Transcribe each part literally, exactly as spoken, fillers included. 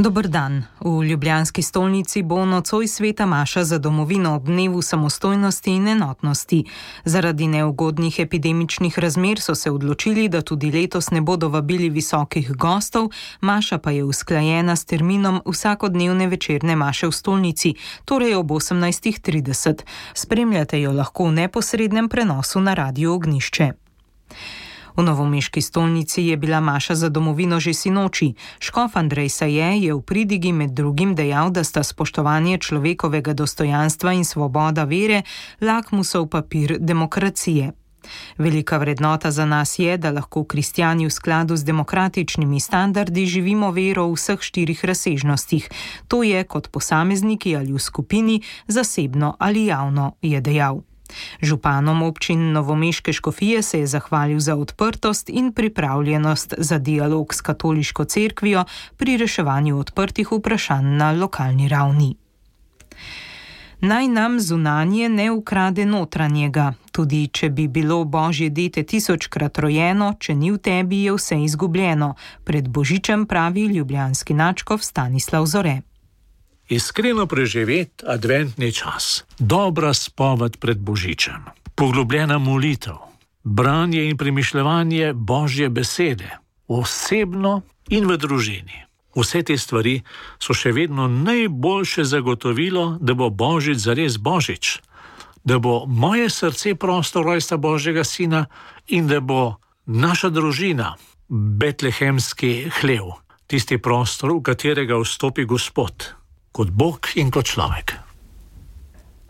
Dober dan. V ljubljanski stolnici bo nocoj sveta maša za domovino ob dnevu samostojnosti in enotnosti. Zaradi neugodnih epidemičnih razmer so se odločili, da tudi letos ne bodo vabili visokih gostov, maša pa je usklajena s terminom vsakodnevne večerne maše v stolnici, torej ob osemnajstih trideset. Spremljate jo lahko v neposrednem prenosu na Radiu Ognjišče. V novomeški stolnici je bila maša za domovino že sinoči. Škof Andrej Saje je v pridigi med drugim dejal, da sta spoštovanje človekovega dostojanstva in svoboda vere lakmusov papir demokracije. Velika vrednota za nas je, da lahko kristjani v skladu z demokratičnimi standardi živimo vero v vseh štirih razsežnostih. To je kot posamezniki ali v skupini, zasebno ali javno, je dejal. Županom občin novomeške škofije se je zahvalil za odprtost in pripravljenost za dialog s katoliško cerkvijo pri reševanju odprtih vprašanj na lokalni ravni. Naj nam zunanje ne ukrade notranjega. Tudi če bi bilo Božje dete tisočkrat rojeno, če ni v tebi, je vse izgubljeno. Pred Božičem pravi ljubljanski nadškof Stanislav Zore. Iskreno preživeti adventni čas, dobra spoved pred Božičem, poglobljena molitev, branje in premišljevanje Božje besede, osebno in v družini. Vse te stvari so še vedno najboljše zagotovilo, da bo Božič zares Božič, da bo moje srce prostor rojstva Božjega sina in da bo naša družina betlehemski hlev, tisti prostor, v katerega vstopi Gospod, kot Bog in kot človek.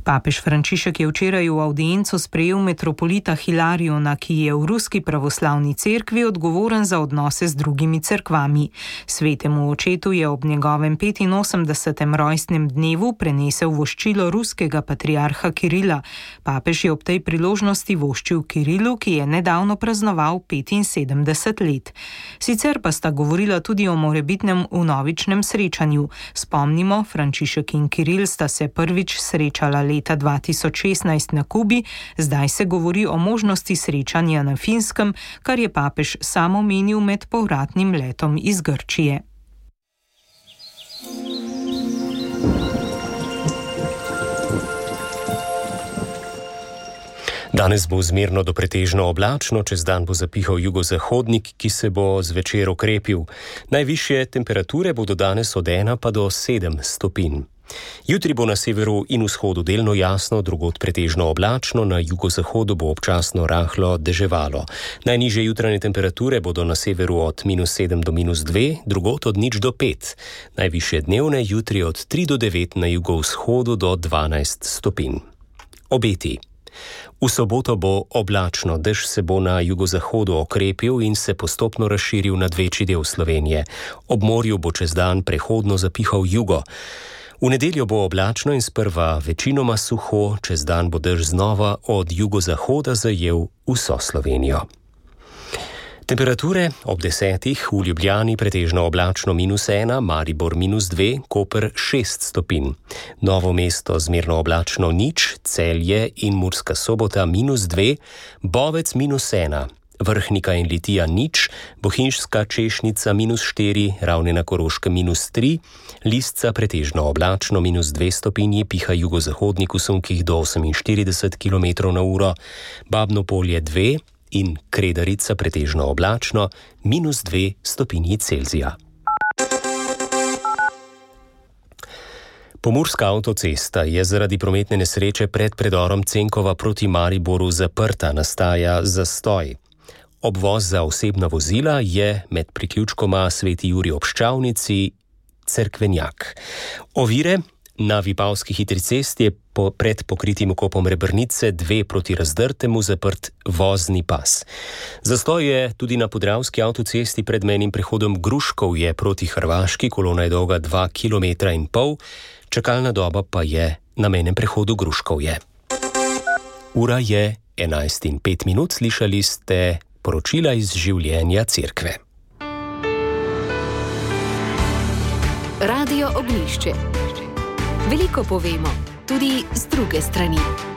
Papež Frančišek je včeraj v avdienco sprejel metropolita Hilariona, ki je v ruski pravoslavni cerkvi odgovoren za odnose z drugimi cerkvami. Svetemu očetu je ob njegovem petinosemdesetem rojstnem dnevu prenesel voščilo ruskega patriarha Kirila. Papež je ob tej priložnosti voščil Kirilu, ki je nedavno praznoval petinsedemdeset let. Sicer pa sta govorila tudi o morebitnem vnovičnem srečanju. Spomnimo, Frančišek in Kiril sta se prvič srečala leta dva tisoč šestnajst na Kubi, zdaj se govori o možnosti srečanja na Finskem, kar je papež sam omenil med povratnim letom iz Grčije. Danes bo zmerno do pretežno oblačno, čez dan bo zapihal jugozahodnik, ki se bo zvečer okrepil. Najvišje temperature bodo danes od ena pa do sedem stopinj. Jutri bo na severu in vzhodu delno jasno, drugod pretežno oblačno, na jugozahodu bo občasno rahlo deževalo. Najnižje jutranje temperature bodo na severu od minus sedem do minus dve, drugod od nič do pet. Najvišje dnevne jutri od tri do devet, na jugovzhodu do dvanajst stopinj. Obeti. V soboto bo oblačno, dež se bo na jugozahodu okrepil in se postopno razširil nad večji del Slovenije. Ob morju bo čez dan prehodno zapihal jugo. V nedeljo bo oblačno in sprva večinoma suho, čez dan bo dež znova od jugozahoda zajel vso Slovenijo. Temperature ob desetih, v Ljubljani pretežno oblačno minus ena, Maribor minus dve, Koper šest stopinj. Novo mesto zmerno oblačno nič, Celje in Murska Sobota minus dve, Bovec minus ena, Vrhnika in Litija nič, Bohinjska Češnica minus štiri, Ravne na Koroškem minus tri, Lisca pretežno oblačno minus dve stopinji, piha jugozahodnik v sunkih do oseminštirideset kilometrov na uro, Babno Polje dve in Kredarica pretežno oblačno minus dve stopinji Celzija. Pomurska avtocesta je zaradi prometne nesreče pred predorom Cenkova proti Mariboru zaprta, nastaja zastoj. Obvoz za osebna vozila je med priključkoma Sveti Jurij ob Ščavnici Cerkvenjak. Ovire na Vipavski hitri cesti je po, pred pokritim vkopom Rebrnice dve proti Razdrtemu zaprt vozni pas. Zastoj je tudi na Podravski avtocesti pred mejnim prehodom Gruškovje proti Hrvaški, kolona je dolga dva kilometra in pol, čakalna doba pa je na mejnem prehodu Gruškovje. Ura je enajst in pet minut, slišali ste poročila iz življenja cerkve. Radio Ognjišče. Veliko povemo, tudi z druge strani.